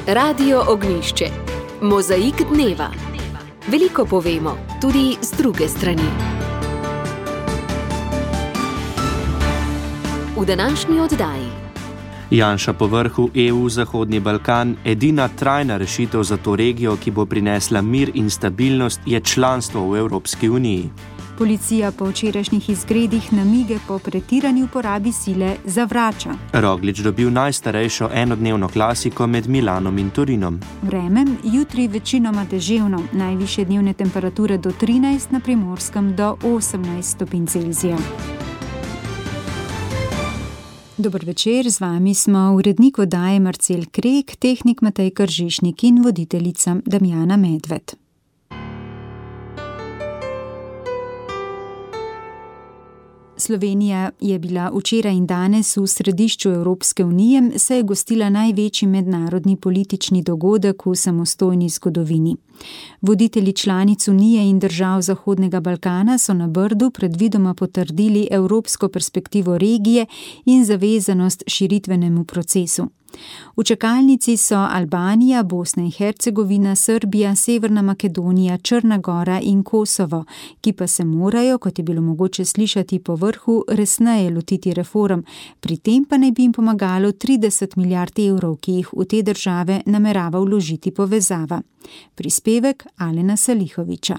Radio Ognjišče. Mozaik dneva. Veliko povemo, tudi z druge strani. V današnji oddaji. Janša po vrhu EU Zahodni Balkan, edina trajna rešitev za to regijo, ki bo prinesla mir in stabilnost, je članstvo v Evropski uniji. Policija po včerajšnjih izgredih namige po pretirani uporabi sile zavrača. Roglič dobil najstarejšo enodnevno klasiko med Milanom in Torinom. Vreme, jutri večinoma deževno, najvišje dnevne temperature do 13, na Primorskem do 18 stopinj Celzija. Dober večer, z vami smo urednik oddaje Marcel Krek, tehnik Matej Kržišnik in voditeljica Damjana Medved. Slovenija je bila včeraj in danes v središču Evropske unije, saj je gostila največji mednarodni politični dogodek v samostojni zgodovini. Voditelji članic Unije in držav Zahodnega Balkana so na Brdu predvidoma potrdili evropsko perspektivo regije in zavezanost širitvenemu procesu. V čakalnici so Albanija, Bosna in Hercegovina, Srbija, Severna Makedonija, Črna Gora in Kosovo, ki pa se morajo, kot je bilo mogoče slišati po vrhu, resneje lotiti reform. Pri tem pa naj bi jim pomagalo 30 milijard evrov, ki jih v te države namerava vložiti povezava. Prispevek Alena Salihoviča.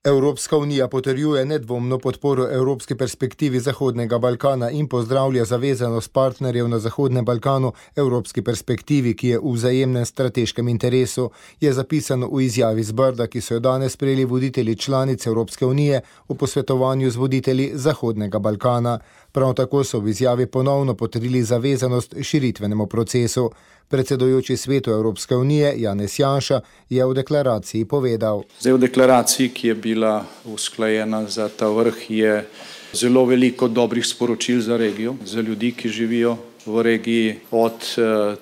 Evropska unija potrjuje nedvomno podporo evropski perspektivi Zahodnega Balkana in pozdravlja zavezanost partnerjev na Zahodnem Balkanu evropski perspektivi, ki je v vzajemnem strateškem interesu, je zapisano v izjavi z Brda, ki so jo danes sprejeli voditelji članic Evropske unije v posvetovanju z voditelji Zahodnega Balkana. Prav tako so v izjavi ponovno potrdili zavezanost širitvenemu procesu. Predsedujoči svetu Evropske unije Janez Janša je v deklaraciji povedal. Zdaj v deklaraciji, ki je bila usklajena za ta vrh, je zelo veliko dobrih sporočil za regijo, za ljudi, ki živijo v regiji, od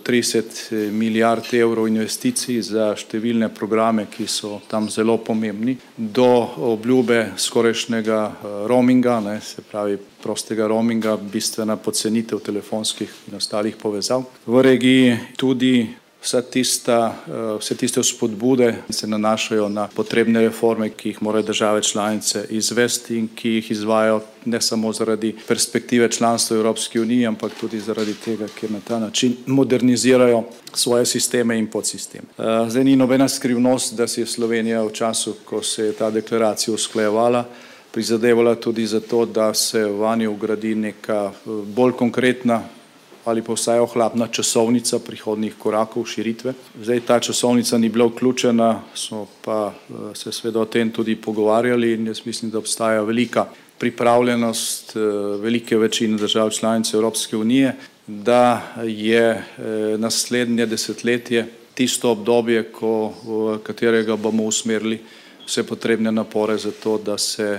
30 milijard evrov investicij za številne programe, ki so tam zelo pomembni, do obljube skorajšnjega roaminga, se pravi prostega roaminga, bistvena pocenitev telefonskih in ostalih povezav. V regiji tudi vse tiste spodbude se nanašajo na potrebne reforme, ki jih morajo države članice izvesti in ki jih izvajajo ne samo zaradi perspektive članstva v Evropski uniji, ampak tudi zaradi tega, ker na ta način modernizirajo svoje sisteme in podsisteme. Zdaj ni nobena skrivnost, da si je Slovenija v času, ko se je ta deklaracija usklajevala, prizadevala tudi za to, da se vanjo vgradi neka bolj konkretna ali pa vsaj ohlapna časovnica prihodnjih korakov širitve. Zdaj ta časovnica ni bila vključena, smo pa se seveda o tem tudi pogovarjali in jaz mislim, da obstaja velika pripravljenost velike večine držav članic Evropske unije, da je naslednje desetletje tisto obdobje, v katerega bomo usmerili vse potrebne napore za to, da se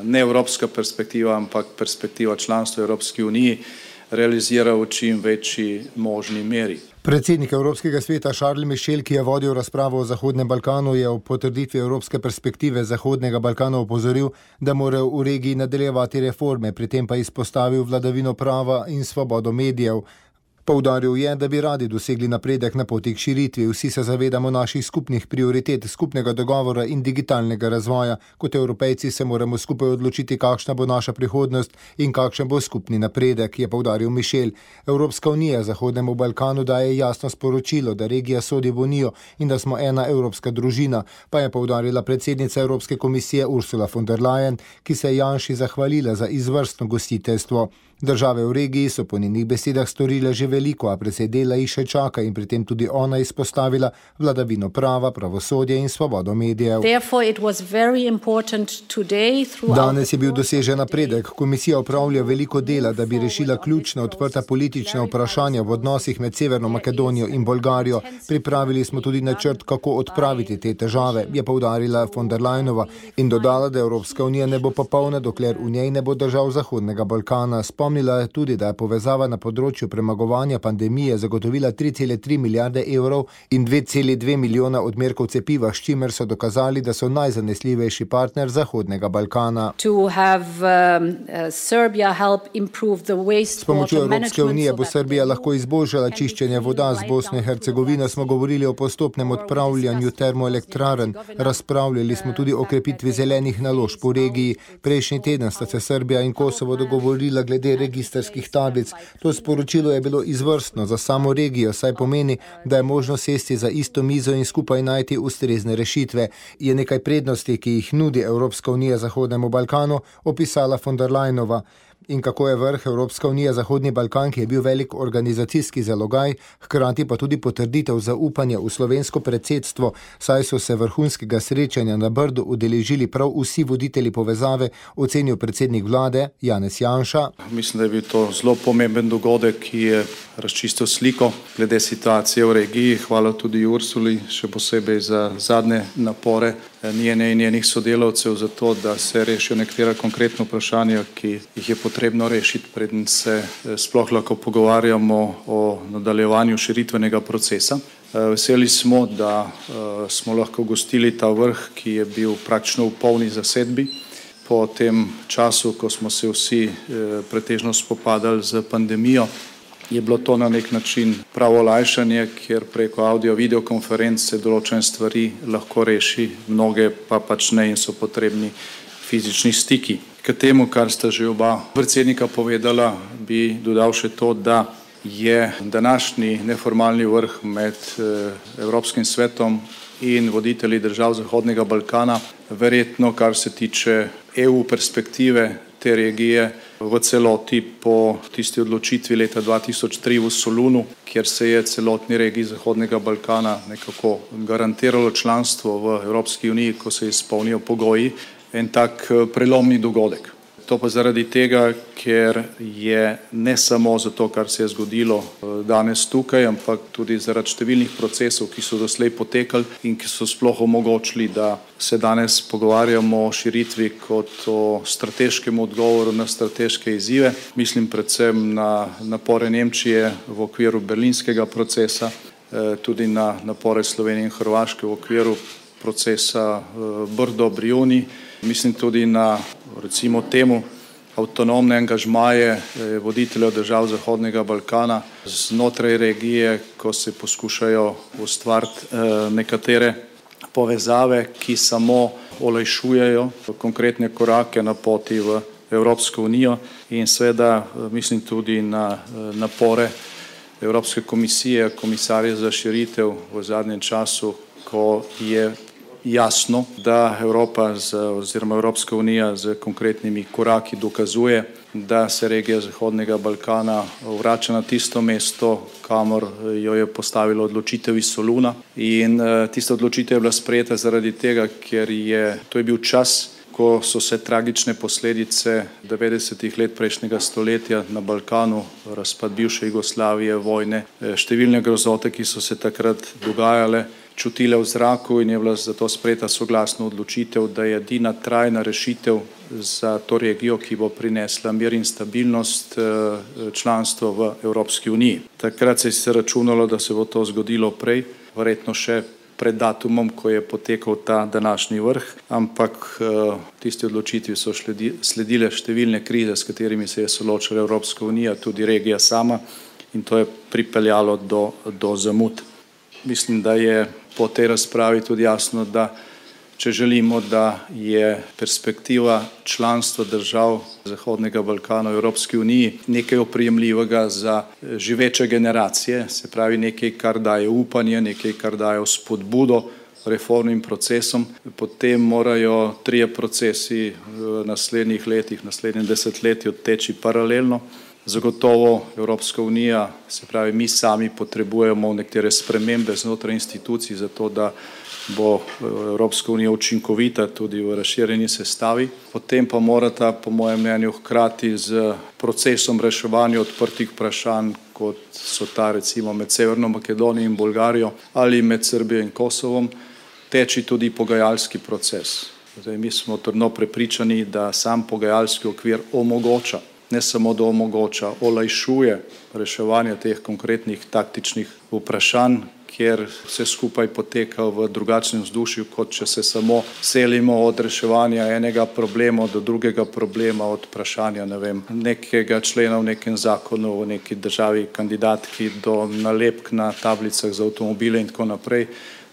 ne evropska perspektiva, ampak perspektiva članstva Evropske unije realizira v čim večji možni meri. Predsednik Evropskega sveta Charles Michel, ki je vodil razpravo o Zahodnem Balkanu, je o potrditvi evropske perspektive Zahodnega Balkana opozoril, da morajo v regiji nadaljevati reforme, pri tem pa izpostavil vladavino prava in svobodo medijev. Poudaril je, da bi radi dosegli napredek na poti k širitvi. Vsi se zavedamo naših skupnih prioritet, skupnega dogovora in digitalnega razvoja. Kot Evropejci se moramo skupaj odločiti, kakšna bo naša prihodnost in kakšen bo skupni napredek, je poudaril Michel. Evropska unija Zahodnemu Balkanu daje jasno sporočilo, da regija sodi v unijo in da smo ena evropska družina, pa je poudarila predsednica Evropske komisije Ursula von der Leyen, ki se je Janši zahvalila za izvrstno gostiteljstvo. Države v regiji so po njenih besedah storile že veliko, a precej dela jih še čaka in pri tem tudi ona izpostavila vladavino prava, pravosodje in svobodo medijev. Danes je bil dosežen napredek. Komisija opravlja veliko dela, da bi rešila ključna odprta politična vprašanja v odnosih med Severno Makedonijo in Bolgarijo. Pripravili smo tudi načrt, kako odpraviti te težave, je poudarila von der Leyenova in dodala, da Evropska unija ne bo popolna, dokler v njej ne bo držav Zahodnega Balkana. Spomnila tudi, da je povezava na področju premagovanja pandemije zagotovila 3,3 milijarde evrov in 2,2 milijona odmerkov cepiva, s čimer so dokazali, da so najzanesljivejši partner Zahodnega Balkana. S pomočjo Evropske unije bo Srbija lahko izboljšala čiščenje voda. Z Bosno in Hercegovino smo govorili o postopnem odpravljanju termoelektrarn. Razpravljali smo tudi o krepitvi zelenih naložb v regiji. Prejšnji teden sta se Srbija in Kosovo dogovorila glede registrskih tablic. To sporočilo je bilo izvrstno za samo regijo, saj pomeni, da je možno sesti za isto mizo in skupaj najti ustrezne rešitve. Je nekaj prednosti, ki jih nudi Evropska unija Zahodnemu Balkanu, opisala von der Leyenova. In kako je vrh Evropska unija Zahodni Balkan, ki je bil velik organizacijski zalogaj, hkrati pa tudi potrditev zaupanja v slovensko predsedstvo, saj so se vrhunskega srečanja na Brdu udeležili prav vsi voditelji povezave, ocenil predsednik vlade Janez Janša. Mislim, da je bil to zelo pomemben dogodek, ki je razčistil sliko glede situacije v regiji. Hvala tudi Ursuli, še posebej za zadnje napore njene in njenih sodelavcev za to, da se rešijo nekatera konkretna vprašanja, ki jih je potrebno rešiti, preden se sploh lahko pogovarjamo o nadaljevanju širitvenega procesa. Veseli smo, da smo lahko gostili ta vrh, ki je bil praktično v polni zasedbi. Po tem času, ko smo se vsi pretežno spopadali z pandemijo, je bilo to na nek način pravo olajšanje, ker preko audio-videokonference določene stvari lahko reši, mnoge pa pač ne in so potrebni fizični stiki. K temu, kar sta že oba predsednika povedala, bi dodal še to, da je današnji neformalni vrh med Evropskim svetom in voditelji držav Zahodnega Balkana verjetno, kar se tiče EU perspektive te regije, v celoti po tisti odločitvi leta 2003 v Solunu, kjer se je celotni regiji Zahodnega Balkana nekako garantiralo članstvo v Evropski uniji, ko se izpolnijo pogoji, en tak prelomni dogodek. To pa zaradi tega, ker je ne samo zato, kar se je zgodilo danes tukaj, ampak tudi zaradi številnih procesov, ki so doslej potekali in ki so sploh omogočili, da se danes pogovarjamo o širitvi kot o strateškem odgovoru na strateške izzive. Mislim predvsem na napore Nemčije v okviru berlinskega procesa, tudi na napore Slovenije in Hrvaške v okviru procesa Brdo-Brioni. Mislim tudi na, recimo temu, avtonomne angažmaje voditeljev držav Zahodnega Balkana znotraj regije, ko se poskušajo ustvariti nekatere povezave, ki samo olajšujejo konkretne korake na poti v Evropsko unijo in seveda mislim tudi na napore Evropske komisije, komisarja za širitev v zadnjem času, ko je jasno, da Evropa oziroma Evropska unija z konkretnimi koraki dokazuje, da se regija Zahodnega Balkana vrača na tisto mesto, kamor jo je postavilo odločitev iz Soluna. In tista odločitev je bila sprejeta zaradi tega, ker to je bil čas, ko so se tragične posledice 90-ih let prejšnjega stoletja na Balkanu, razpad bivše Jugoslavije, vojne, številne grozote, ki so se takrat dogajale, čutile v zraku in je bila zato sprejeta soglasna odločitev, da je edina trajna rešitev za to regijo, ki bo prinesla mir in stabilnost, članstvo v Evropski uniji. Takrat se je računalo, da se bo to zgodilo prej, verjetno še pred datumom, ko je potekal ta današnji vrh, ampak tisti odločitvi so sledile številne krize, s katerimi se je soočala Evropska unija, tudi regija sama, in to je pripeljalo do zamud. Mislim, da je po tej razpravi tudi jasno, da če želimo, da je perspektiva članstva držav Zahodnega Balkana v Evropski uniji nekaj oprijemljivega za živeče generacije, se pravi nekaj, kar daje upanje, nekaj, kar daje spodbudo reformnim procesom, potem morajo trije procesi v naslednjih letih, naslednjem desetletju teči paralelno. Zagotovo Evropska unija, se pravi mi sami potrebujemo nekatere spremembe znotraj institucij, zato da bo Evropska unija učinkovita tudi v razširjeni sestavi. Potem pa morata, po mojem mnenju, hkrati z procesom reševanja odprtih vprašanj, kot so ta recimo med Severno Makedonijo in Bolgarijo ali med Srbijo in Kosovom, teči tudi pogajalski proces. Zdaj, mi smo trdno prepričani, da sam pogajalski okvir omogoča ne samo da omogoča, olajšuje reševanje teh konkretnih taktičnih vprašanj, kjer vse skupaj poteka v drugačnem vzdušju, kot če se samo selimo od reševanja enega problema do drugega problema, od vprašanja, nekega člena v nekem zakonu, v neki državi kandidatki do nalepk na tablicah za avtomobile in tako naprej.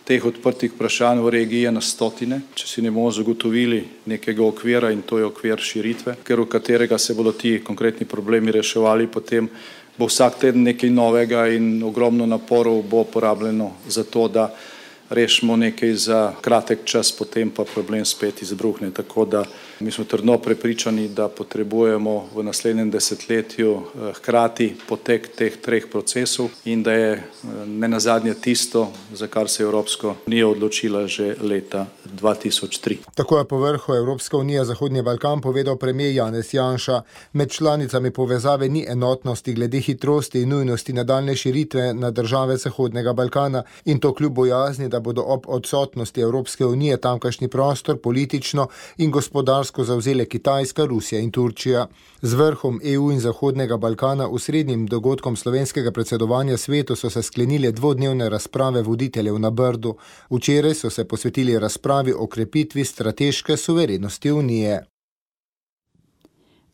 Teh odprtih vprašanj v regiji je na stotine, če si ne bomo zagotovili nekega okvira, in to je okvir širitve, v katerega se bodo ti konkretni problemi reševali, potem bo vsak teden nekaj novega in ogromno naporov bo porabljeno za to, da rešimo nekaj za kratek čas, potem pa problem spet izbruhne. Tako da mi smo trdno prepričani, da potrebujemo v naslednjem desetletju hkrati potek teh treh procesov in da je nenazadnje tisto, za kar se je Evropska unija odločila že leta 2003. Tako je po vrhu Evropska unija Zahodni Balkan povedal premijer Janez Janša. Med članicami povezave ni enotnosti glede hitrosti in nujnosti nadaljne širitve na države Zahodnega Balkana, in to kljub bojazni, da bodo ob odsotnosti Evropske unije tamkajšnji prostor politično in gospodarsko zavzele Kitajska, Rusija in Turčija. Z vrhom EU in Zahodnega Balkana osrednjim dogodkom slovenskega predsedovanja svetu so se sklenile dvodnevne razprave voditeljev na Brdu. Včeraj so se posvetili razpravi o krepitvi strateške suverenosti Unije.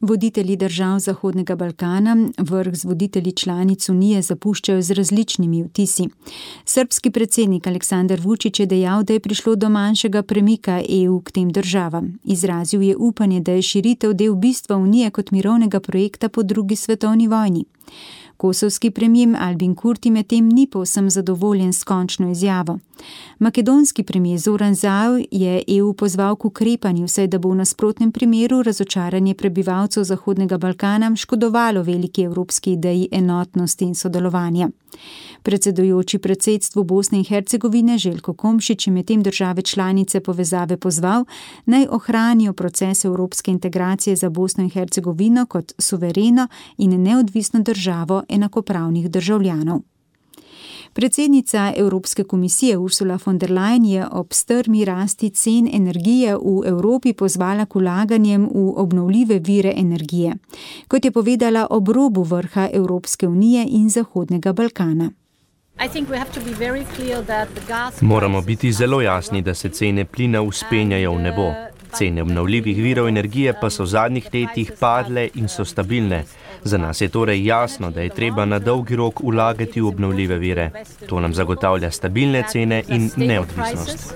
Voditelji držav Zahodnega Balkana vrh z voditelji članic Unije zapuščajo z različnimi vtisi. Srbski predsednik Aleksandar Vučić je dejal, da je prišlo do manjšega premika EU k tem državam. Izrazil je upanje, da je širitev del bistva Unije kot mirovnega projekta po drugi svetovni vojni. Kosovski premijer Albin Kurti medtem ni povsem zadovoljen s končno izjavo. Makedonski premijer Zoran Zaev je EU pozval k ukrepanju, saj da bo v nasprotnem primeru razočaranje prebivalcev Zahodnega Balkana škodovalo veliki evropski ideji enotnosti in sodelovanja. Predsedujoči predsedstvu Bosne in Hercegovine Željko Komšić je medtem države članice povezave pozval, naj ohranijo proces evropske integracije za Bosno in Hercegovino kot suvereno in neodvisno državo enakopravnih državljanov. Predsednica Evropske komisije Ursula von der Leyen je ob strmi rasti cen energije v Evropi pozvala k vlaganjem v obnovljive vire energije, kot je povedala ob robu vrha Evropske unije in Zahodnega Balkana. Moramo biti zelo jasni, da se cene plina vzpenjajo v nebo. Cene obnovljivih virov energije pa so v zadnjih letih padle in so stabilne. Za nas je torej jasno, da je treba na dolgi rok vlagati v obnovljive vire. To nam zagotavlja stabilne cene in neodvisnost.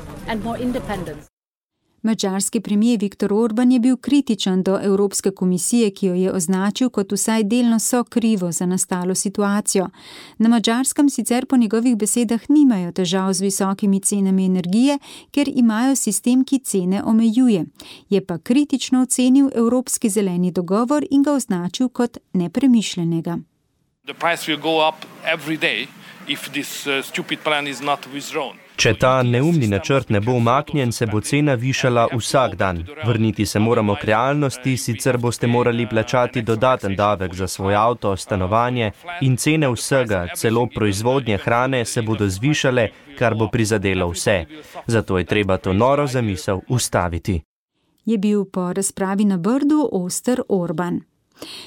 Madžarski premijer Viktor Orban je bil kritičen do Evropske komisije, ki jo je označil kot vsaj delno sokrivo za nastalo situacijo. Na Madžarskem sicer po njegovih besedah nimajo težav z visokimi cenami energije, ker imajo sistem, ki cene omejuje. Je pa kritično ocenil Evropski zeleni dogovor in ga označil kot nepremišljenega. Če ta neumni načrt ne bo umaknjen, se bo cena višala vsak dan. Vrniti se moramo k realnosti, sicer boste morali plačati dodaten davek za svoj avto, stanovanje in cene vsega, celo proizvodnje hrane, se bodo zvišale, kar bo prizadelo vse. Zato je treba to noro zamisel ustaviti. Je bil po razpravi na Brdu oster Orban.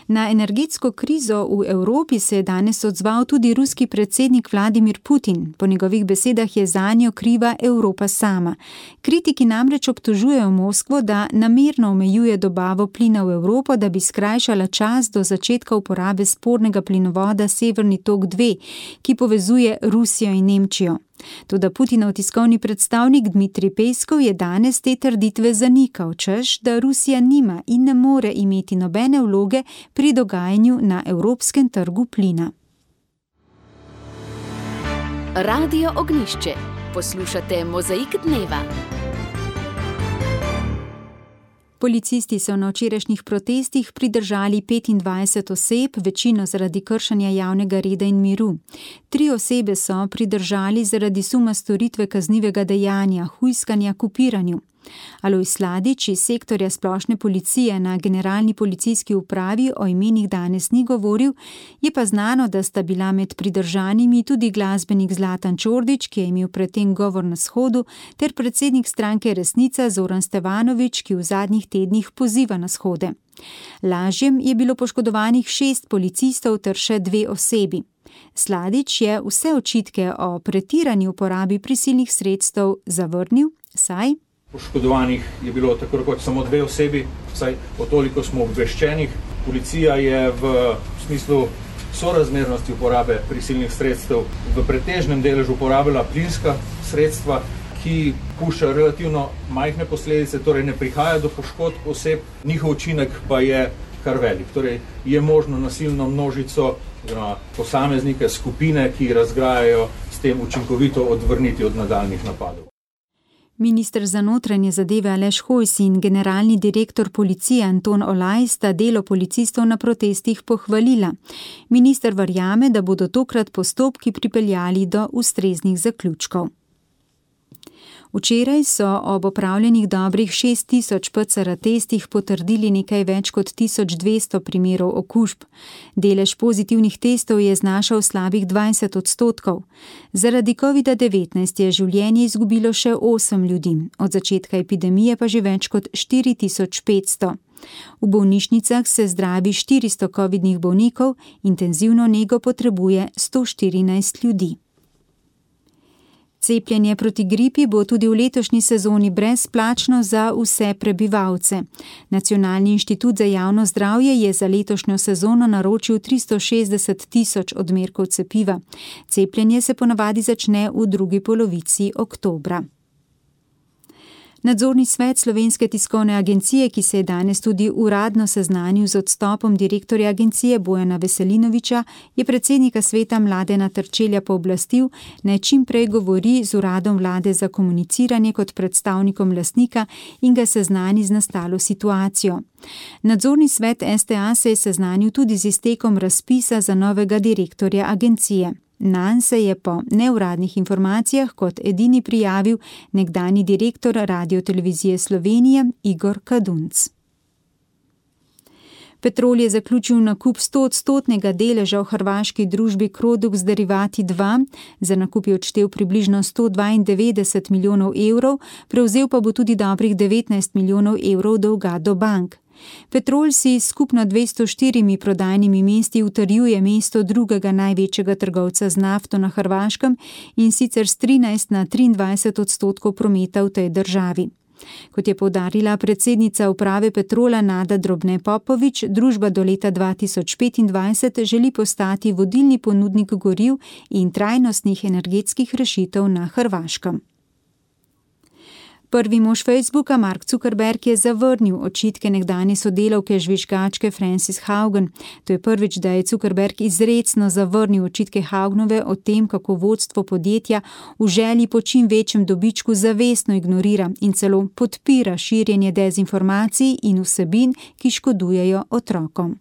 Na energetsko krizo v Evropi se je danes odzval tudi ruski predsednik Vladimir Putin. Po njegovih besedah je zanjo kriva Evropa sama. Kritiki namreč obtožujejo Moskvo, da namerno omejuje dobavo plina v Evropo, da bi skrajšala čas do začetka uporabe spornega plinovoda Severni tok 2, ki povezuje Rusijo in Nemčijo. Toda Putinov tiskovni predstavnik Dmitrij Peskov je danes te trditve zanikal, češ, da Rusija nima in ne more imeti nobene vloge pri dogajanju na evropskem trgu plina. Radio Ognjišče. Poslušate Mozaik dneva. Policisti so na včerajšnjih protestih pridržali 25 oseb, večino zaradi kršenja javnega reda in miru. 3 osebe so pridržali zaradi suma storitve kaznivega dejanja, hujskanja k upiranju. Alojz Sladič iz sektorja splošne policije na Generalni policijski upravi o imenih danes ni govoril, je pa znano, da sta bila med pridržanimi tudi glasbenik Zlatan Čordić, ki je imel predtem govor na shodu, ter predsednik stranke Resnica Zoran Stevanović, ki v zadnjih tednih poziva na shode. Lažjem je bilo poškodovanih 6 policistov ter še 2 osebi. Sladič je vse očitke o pretirani uporabi prisilnih sredstev zavrnil, saj poškodovanih je bilo tako rekoč samo 2 osebi, saj o toliko smo obveščenih. Policija je v smislu sorazmernosti uporabe prisilnih sredstev v pretežnem deležu uporabila plinska sredstva, ki pušča relativno majhne posledice, torej ne prihaja do poškodb oseb, njihov učinek pa je kar velik. Torej je možno nasilno množico, posameznike, skupine, ki razgrajajo, s tem učinkovito odvrniti od nadaljnjih napadov. Minister za notranje zadeve Aleš Hojs in generalni direktor policije Anton Olaj sta delo policistov na protestih pohvalila. Minister verjame, da bodo tokrat postopki pripeljali do ustreznih zaključkov. Včeraj so ob opravljenih dobrih 6000 PCR testih potrdili nekaj več kot 1200 primerov okužb. Delež pozitivnih testov je znašal slabih 20%. Zaradi COVID-19 je življenje izgubilo še 8 ljudi, od začetka epidemije pa že več kot 4500. V bolnišnicah se zdravi 400 covidnih bolnikov, intenzivno nego potrebuje 114 ljudi. Cepljenje proti gripi bo tudi v letošnji sezoni brezplačno za vse prebivalce. Nacionalni inštitut za javno zdravje je za letošnjo sezono naročil 360 000 odmerkov cepiva. Cepljenje se ponavadi začne v drugi polovici oktobra. Nadzorni svet Slovenske tiskovne agencije, ki se je danes tudi uradno seznanil z odstopom direktorja agencije Bojana Veselinoviča, je predsednika sveta Mladena Terčelja pooblastil, naj čim prej govori z uradom vlade za komuniciranje kot predstavnikom lastnika in ga seznani z nastalo situacijo. Nadzorni svet STA se je seznanil tudi z iztekom razpisa za novega direktorja agencije. Nanj se je po neuradnih informacijah kot edini prijavil nekdanji direktor Radiotelevizije Slovenije Igor Kadunc. Petrol je zaključil nakup 100% deleža v hrvaški družbi Crodux Derivati 2, za nakup je odštel približno 192 milijonov evrov, prevzel pa bo tudi dobrih 19 milijonov evrov dolga do bank. Petrol si skupno 204 prodajnimi mesti utrjuje mesto drugega največjega trgovca z nafto na Hrvaškem in sicer s 13 na 23% prometa v tej državi. Kot je poudarila predsednica uprave Petrola Nada Drobne Popovič, družba do leta 2025 želi postati vodilni ponudnik goriv in trajnostnih energetskih rešitev na Hrvaškem. Prvi mož Facebooka, Mark Zuckerberg, je zavrnil očitke nekdanje sodelavke žvižgačke Frances Haugen. To je prvič, da je Zuckerberg izrecno zavrnil očitke Haugnove o tem, kako vodstvo podjetja v želji po čim večjem dobičku zavestno ignorira in celo podpira širjenje dezinformacij in vsebin, ki škodujejo otrokom.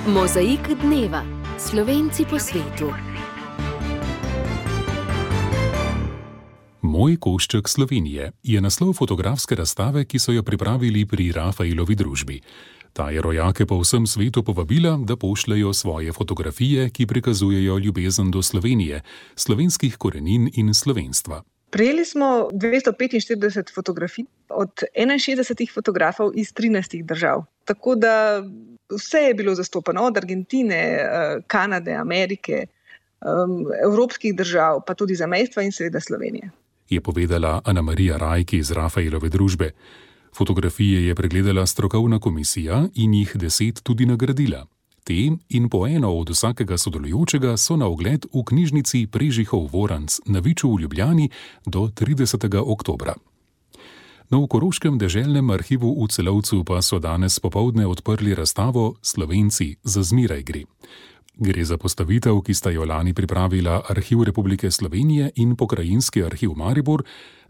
Mozaik dneva. Slovenci po svetu. Moj košček Slovenije je naslov fotografske razstave, ki so jo pripravili pri Rafaelovi družbi. Ta je rojake po vsem svetu povabila, da pošljajo svoje fotografije, ki prikazujejo ljubezen do Slovenije, slovenskih korenin in slovenstva. Prejeli smo 245 fotografij od 61 fotografov iz 13 držav. Tako da vse je bilo zastopano, od Argentine, Kanade, Amerike, evropskih držav, pa tudi zamejstva in seveda Slovenije. Je povedala Ana Marija Rajk iz Rafaelove družbe. Fotografije je pregledala strokovna komisija in jih 10 tudi nagradila. Te in po eno od vsakega sodelujočega so na ogled v knjižnici Prežihov Voranc na Viču v Ljubljani do 30. oktobra. Na Koroškem deželnem arhivu v Celovcu pa so danes popoldne odprli razstavo Slovenci za zmeraj gre. Gre za postavitev, ki sta jo lani pripravila Arhiv Republike Slovenije in Pokrajinski arhiv Maribor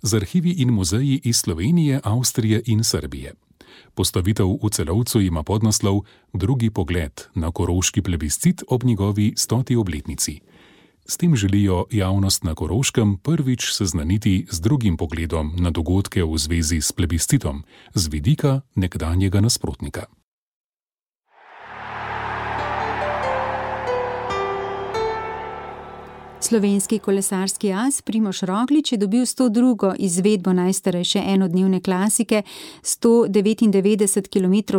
z arhivi in muzeji iz Slovenije, Avstrije in Srbije. Postavitev v Celovcu ima podnaslov Drugi pogled na koroški plebiscit ob njegovi 100. obletnici. S tem želijo javnost na Koroškem prvič seznaniti z drugim pogledom na dogodke v zvezi s plebiscitom, z vidika nekdanjega nasprotnika. Slovenski kolesarski as Primož Roglič je dobil 102. izvedbo najstarejše enodnevne klasike, 199 km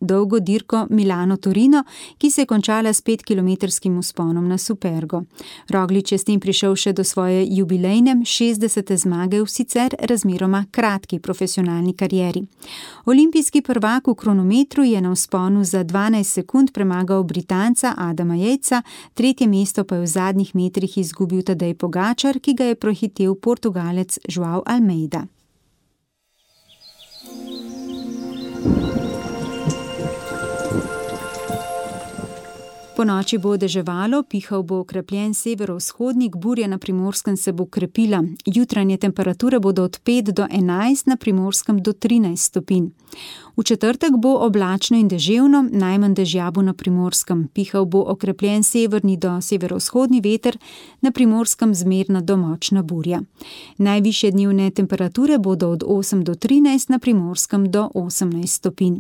dolgo dirko Milano-Torino, ki se je končala s 5-kilometrskim vzponom na Supergo. Roglič je s tem prišel še do svoje jubilejne 60. zmage v sicer razmeroma kratki profesionalni karieri. Olimpijski prvak v kronometru je na vzponu za 12 sekund premagal Britanca Adama Yatesa, tretje mesto pa je v zadnjih metrih izgubil Tadej Pogačar, ki ga je prehitel Portugalec João Almeida. Ponoči bo deževalo, pihal bo okrepljen severovzhodnik, burja na Primorskem se bo krepila. Jutranje temperature bodo od 5 do 11, na Primorskem do 13 stopinj. V četrtek bo oblačno in deževno, najmanj dežja bo na Primorskem. Pihal bo okrepljen severni do severovzhodni veter, na Primorskem zmerna do močna burja. Najvišje dnevne temperature bodo od 8 do 13, na Primorskem do 18 stopinj.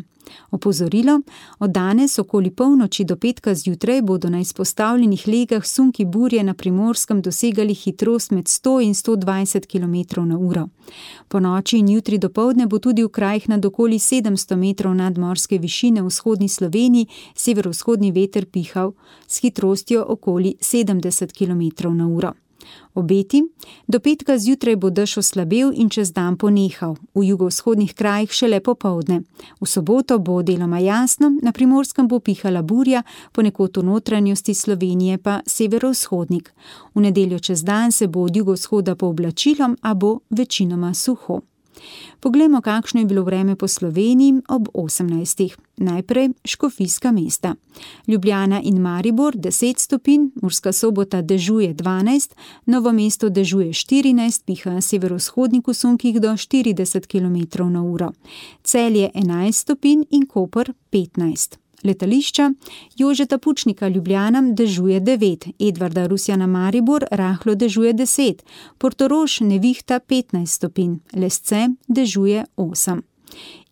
Opozorilo, od danes okoli polnoči do petka zjutraj bodo na izpostavljenih legah sunki burje na Primorskem dosegali hitrost med 100 in 120 km/h. Po noči in jutri dopoldne bo tudi v krajih nad okoli 700 metrov nadmorske višine v vzhodni Sloveniji severovzhodni veter pihal s hitrostjo okoli 70 km/h. Obeti, do petka zjutraj bo dež oslabel in čez dan ponehal, v jugovzhodnih krajih šele popoldne. V soboto bo deloma jasno, na Primorskem bo pihala burja, ponekod v notranjosti Slovenije pa severovzhodnik. V nedeljo čez dan se bo od jugovzhoda pooblačilo, a bo večinoma suho. Poglejmo, kakšno je bilo vreme po Sloveniji ob 18. Najprej Škofijska mesta. Ljubljana in Maribor 10 stopinj, Murska Sobota dežuje 12, Novo mesto dežuje 14, piha severovzhodnik v sunkih do 40 km/h. Celje 11 stopinj in Koper 15. Letališča Jožeta Pučnika Ljubljana dežuje 9, Edvarda Rusjana Maribor rahlo dežuje 10, Portorož nevihta 15 stopinj, Lesce dežuje 8.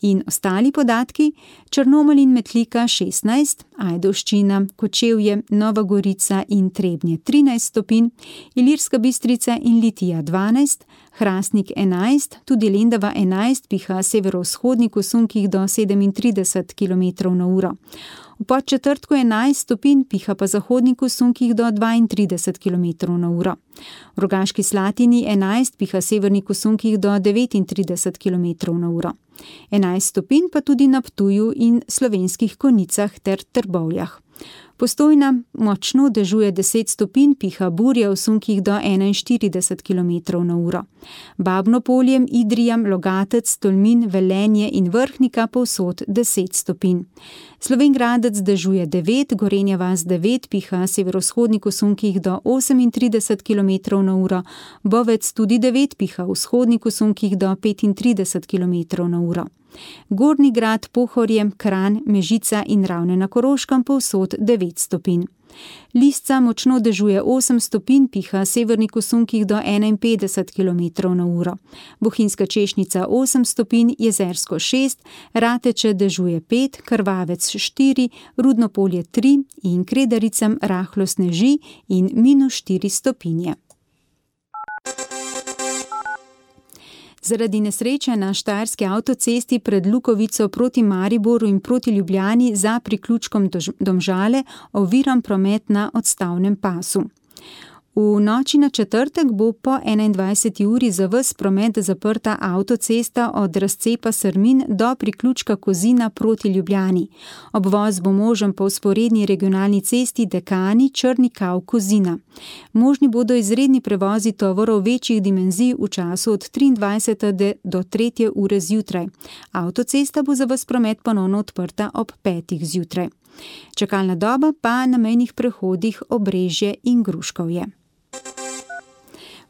In ostali podatki, Črnomelj in Metlika 16, Ajdovščina, Kočevje, Nova Gorica in Trebnje 13 stopinj, Ilirska Bistrica in Litija 12, Hrastnik 11, tudi Lendava 11, piha severovzhodnik v sunkih do 37 km/h. V Podčetrtku 11 stopinj, piha pa zahodnik v sunkih do 32 km/h. V Rogaški Slatini 11, piha severnik v sunkih do 39 km/h. 11 stopinj pa tudi na Ptuju in Slovenskih Konjicah ter Trbovljah. Postojna močno dežuje 10 stopinj, piha burja v sunkih do 41 km/h. Babno Polje, Idrija, Logatec, Tolmin, Velenje in Vrhnika povsod 10 stopinj. Slovenj Gradec dežuje 9, Gorenja vas 9, piha severovzhodnik v sunkih do 38 km/h, Bovec tudi 9, piha vzhodnik v sunkih do 35 km/h. Gornji Grad, Pohorje, Kranj, Mežica in Ravne na Koroškem povsod 9 stopinj. Lisca močno dežuje 8 stopinj, piha severnik v sunkih do 51 km/h. Bohinjska Češnica 8 stopinj, Jezersko 6, Rateče dežuje 5, Krvavec 4, Rudno Polje 3 in Kredaricam rahlo sneži in -4 stopinje. Zaradi nesreče na štajerski avtocesti pred Lukovico proti Mariboru in proti Ljubljani za priključkom Domžale oviran promet na odstavnem pasu. V noči na četrtek bo po 21. uri za ves promet zaprta avtocesta od razcepa Srmin do priključka Kozina proti Ljubljani. Obvoz bo možen po vzporedni regionalni cesti Dekani Črni Kav Kozina. Možni bodo izredni prevozi tovorov večjih dimenzij v času od 23. do 3. ure zjutraj. Avtocesta bo za ves promet ponovno odprta ob 5. zjutraj. Čakalna doba pa na mejnih prehodih Obrežje in Gruškovje.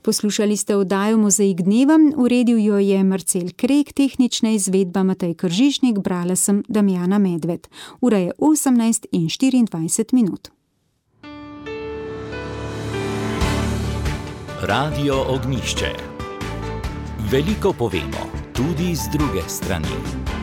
Poslušali ste oddajo Mozaik dneva, uredil jo je Marcel Krek, tehnična izvedba Matej Kržišnik, brala sem Damjana Medved. Ura je 18:24. Radio Ognjišče. Veliko povemo, tudi z druge strani.